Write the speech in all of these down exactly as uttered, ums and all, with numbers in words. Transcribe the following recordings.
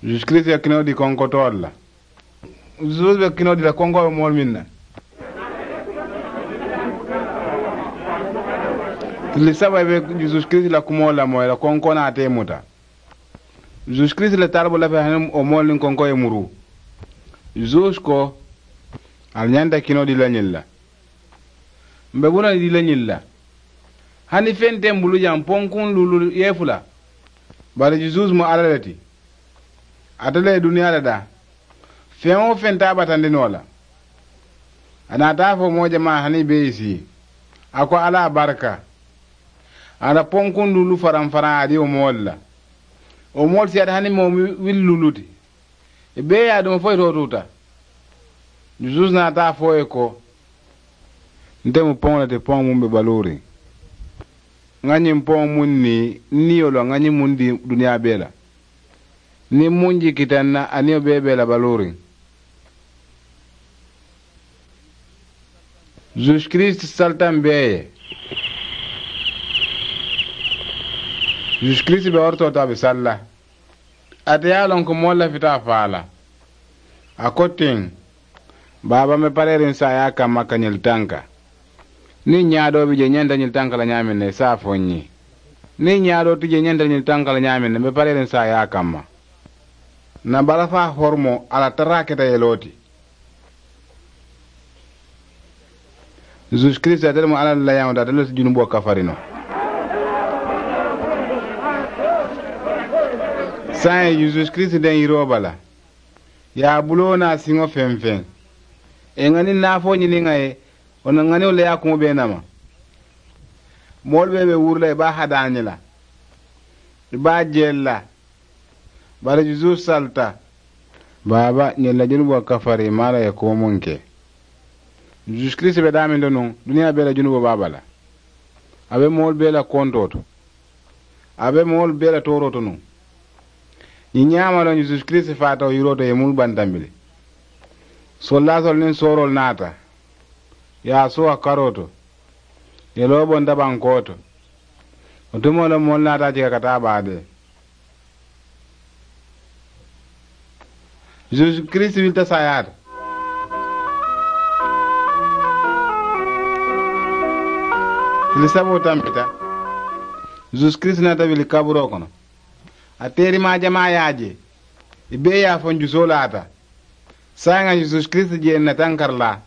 Zuusu kiristi ye kinoo di konkotoolu la. Zuusu be kinoo di la konkoo be moolu meŋ na. Tili saba i be zuusu kiristi la kumoo la moo i la konkoo naa te muta. Zuusu kiristi la taalibo lafita hani wo moolu niŋ konkoo ye muruu. Zuusu ko, ali ñanta kinoo di la ñiŋ la. M̀ be bula di le ñiŋ la. Hani feŋ te m̀ bulu jaŋ ponkuŋ luulu yeefu la. Bari jusuusu mu alla le ti. Ate le ye duniyaa le daa. Feŋ-wo-feŋ te a batandi noo la. A naata a fo moo jamaa hani i be i sii. A ko alla a barika. A naata ponkuŋ luulu faraŋ faraŋ a di wo moolu la. Wo moolu siyaata hani moo wili luulu ti. I bee ye a duŋ fo i tootuuta. Jusuusu naata a fo i ye ko, nte mu poŋo le ti poŋo muŋ be baluuriŋ. Ŋa ñiŋ poŋo muŋ nii n niyo loŋ ŋa ñiŋ muŋ dii duniyaa bee la. Niŋ muŋ jikita n na a niyo bee be la baluuriŋ. Zuusu kiristi salita m bee ye. Zuusu kiristi be worotoo to a be salla. Ate ye a loŋ ko moolu lafita a faa la. A ko tiŋ, baaba m be pareeriŋ saayaa kamma ka ñiŋ tanka. Niŋ ñaadoo bi jee ñanta ñiŋ tanka la ñaameŋ ne i se a fo n ye. Niŋ ñaadoo ti jee ñanta ñiŋ tanka la ñaameŋ ne m be pareeriŋ saayaa kamma. N na balafaa horomoo a la taraa keta yeloo ti. Zuusu kiristi ate le mu alla la layaŋo ti ate le si junuboo kafari noo. Saayiŋ zuusu kiristi deŋ yiroo bala. Ye a buloo naa siŋo feŋ feŋ. Ì ŋa niŋ naafoo ñini ŋa ye. Wo na ŋa niŋ wo le ye a kuŋo bee nama. Moolu bee be wuri la ì be a hadaañi la. Ì be a jeeli la. Bari jusuusu salita. Baaba ñiŋ la junuboo kafari ì maŋ a la ye kuwo muŋ ke. Jusuusu kiristi be daameŋ to nuŋ duniyaa bee la junuboo be a bala. A be moolu bee la kontoo to. A be moolu bee la tooroo to nuŋ. Ñiŋ ñaama loŋ jusuusu kiristi faata wo yiroo to ye muulu bantambi le. Sollaasoolu niŋ sooroolu naata. Ye a suu a karoo to. Ye loo bonta bankoo to. Wo tumoo le moolu naata a jika ka taa baadee. Zuusu kiristi wilita saayaa to. Tili saboo tambita. Zuusu kiristi naata wili kaburoo kono. A teerimaa jamaa ye a je. Ì bee ye a fo n jusoo laata. Saayiŋ a zuusu kiristi je n na tankari laa.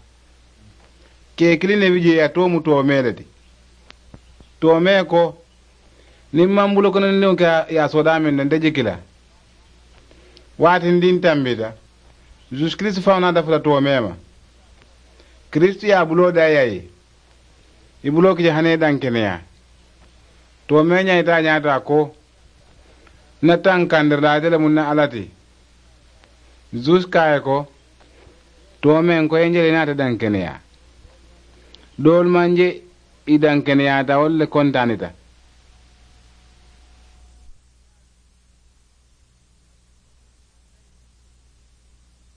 Kee kiliŋ ne bi jee a too mu toomee le ti. Toomee ko, niŋ maŋ bulokonondiŋo ke ye a soodaa meŋ ne nte jiki la. Waatindiŋ tambita. Zuusu kiristi faŋo naata futa toomee ma. Kiristi ye a buloo daayi a ye. I buloo ki je hani i dankeneyaa. Toomee ñaayita a ñaata ko, n na taŋ kandiri la ate le mu n na alla ti. Zuusu ko a ye ko, toomeŋ ko i ye n je le i naata dankeneyaa. Doolu maŋ je i dankeneyaata wolu le kontaanita.